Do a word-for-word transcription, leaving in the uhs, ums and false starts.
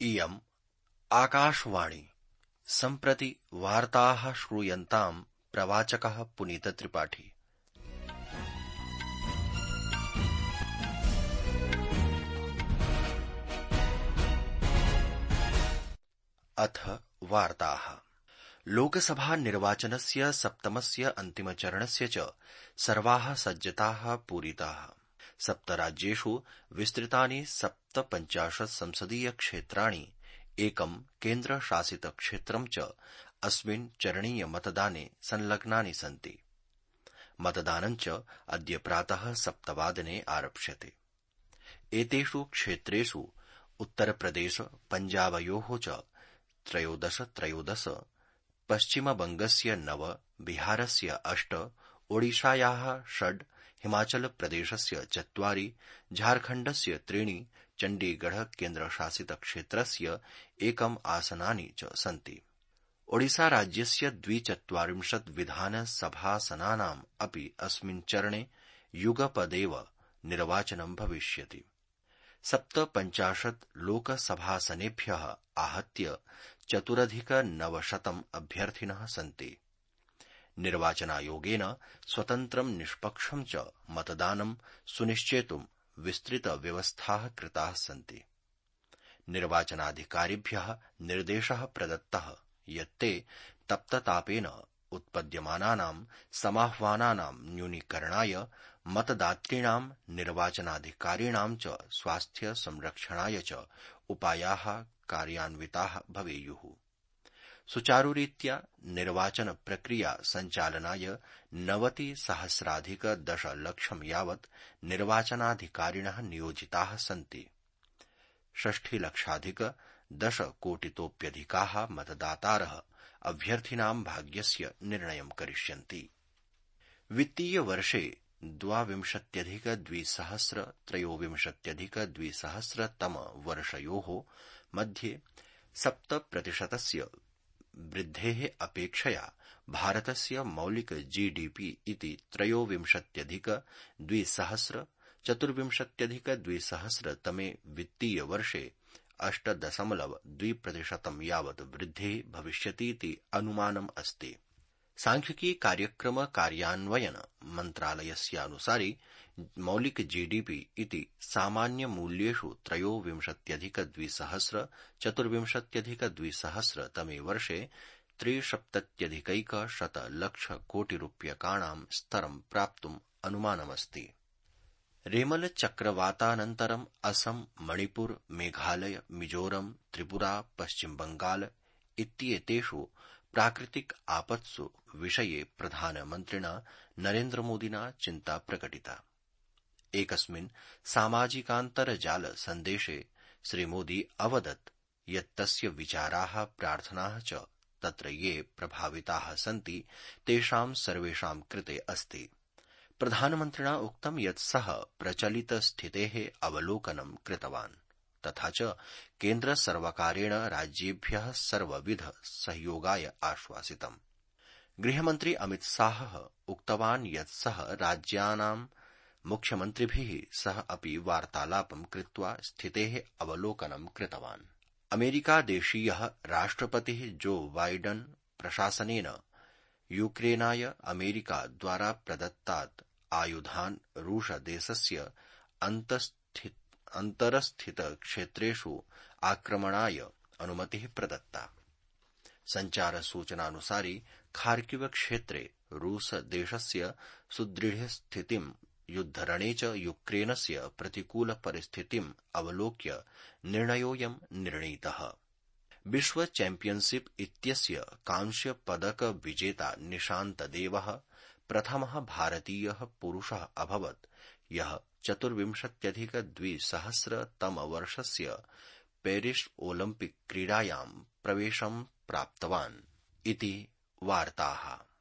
इयम् आकाशवाणी। सम्प्रति वार्ताः श्रूयन्ताम् प्रवाचकः पुनीतत्रिपाठी। अथ वार्ताः। लोकसभा निर्वाचनस्य सप्तमस्य अन्तिमचरणस्य च सर्वाः सज्जताः पूरिताः। सप्तराज्येषु विस्तृतानि सप्तपञ्चाशत् संसदीय क्षेत्राणि एकं केन्द्रशासित क्षेत्रं च अस्मिन् चरणीय मतदाने संलग्नानि सन्ति। मतदानं च अद्य प्रातः सप्तवादने आरप्स्यते। एतेषु क्षेत्रेषु उत्तरप्रदेश पञ्जाबयोः च त्रयोदश त्रयोदश, पश्चिमबंगस्य नव, बिहारस्य अष्ट, ओडिशायाः षड्, हिमाचलप्रदेशस्य चत्वारि, झारखण्डस्य त्रीणि, चण्डीगढ़ केन्द्रशासितक्षेत्रस्य एकम् आसनानि च सन्ति। ओडिशाराज्यस्य द्विचत्वारिंशत् विधानसभासनानाम् अपि अस्मिन् चरणे युगपदेव निर्वाचनं भविष्यति। सप्तपञ्चाशत् लोकसभासनेभ्यः आहत्य चतुरधिक नवशतम् अभ्यर्थिनः सन्ति। निर्वाचनायोगेन स्वतन्त्रं निष्पक्षं च मतदानं सुनिश्चेतुं विस्तृतव्यवस्थाः कृताः सन्ति। निर्वाचनाधिकारिभ्यः निर्देशः प्रदत्तः यत् ते तप्ततापेन उत्पद्यमानानां समाह्वानानां न्यूनीकरणाय मतदातॄणां निर्वाचनाधिकारिणां च स्वास्थ्य संरक्षणाय च उपायाः कार्यान्विताः भवेयुः। सुचारुरीत्या निर्वाचन प्रक्रिया सञ्चालनाय नवतिसहस्राधिक दशलक्षं यावत् निर्वाचनाधिकारिणः नियोजिताः सन्ति। षष्ठिलक्षाधिक दशकोटितोऽप्यधिकाः मतदातारः अभ्यर्थिनां भाग्यस्य निर्णयं करिष्यन्ति। वित्तीयवर्षे द्वाविंशत्यधिक द्विसहस्र त्रयोविंशत्यधिक द्विसहस्रतम वर्षयोः मध्ये सप्तप्रतिशतस्य वृद्धेः अपेक्षया भारतस्य मौलिक जीडीपी इति त्रयोविंशत्यधिक द्विसहस्र चतुर्विंशत्यधिक द्विसहस्रतमे वित्तीयवर्षे अष्ट दशमलव द्वि प्रतिशतं यावत् वृद्धिः भविष्यतीति अनुमानम् अस्ति। सांख्यिकी कार्यक्रम कार्यान्वयन मन्त्रालयस्यानुसारि मौलिक जीडीपी इति सामान्यमूल्येषु त्रयोविंशत्यधिक द्विसहस्र चतुर्विंशत्यधिक द्विसहस्र तमे वर्षे त्रिसप्तत्यधिकैक शतलक्षकोटिरूप्यकाणां स्तरं प्राप्तुम् अनुमानमस्ति। रेमल चक्रवातानन्तरम् असम, मणिपुर, मेघालय, मिजोरम, त्रिपुरा, पश्चिम बंगाल इत्येतेषु प्राकृतिक आपत्सु विषये प्रधानमन्त्रिणा नरेन्द्रमोदिना चिन्ता प्रकटिता। एकस्मिन् सामाजिकान्तर्जाल सन्देशे श्रीमोदी अवदत् यत् तस्य विचाराः प्रार्थनाः च तत्र ये प्रभाविताः सन्ति तेषां सर्वेषां कृते अस्ति। प्रधानमन्त्रिणा उक्तं यत् सः प्रचलितस्थितेः अवलोकनं कृतवान् तथा च केन्द्रसर्वकारेण राज्येभ्यः सर्वविध सहयोगाय आश्वासितम्। गृहमन्त्री अमितशाहः उक्तवान् यत् सः राज्यानां मुख्यमन्त्रिभिः सह अपि वार्तालापं कृत्वा स्थितेः अवलोकनं कृतवान्। अमेरिकादेशीयः राष्ट्रपतिः जो बाइडन प्रशासनेन यूक्रेनाय अमेरिकाद्वारा प्रदत्तात् आयुधान् रूसदेशस्य अन्तरस्थितक्षेत्रेषु आक्रमणाय अनुमतिः प्रदत्ता। सञ्चारसूचनानुसारि खार्किव क्षेत्रे रूसदेशस्य सुदृढस्थितिं युद्धरणे च यूक्रेनस्य प्रतिकूलपरिस्थितिम् अवलोक्य निर्णयोऽयं निर्णीतः। विश्व चैम्पियनशिप इत्यस्य कांस्यपदकविजेता निशान्तदेवः प्रथमः भारतीयः पुरुषः अभवत् यः चतुर्विंशत्यधिक द्विसहस्रतमवर्षस्य पेरिस् ओलिम्पिक् क्रीडायां प्रवेशं प्राप्तवान् इति वार्ताः।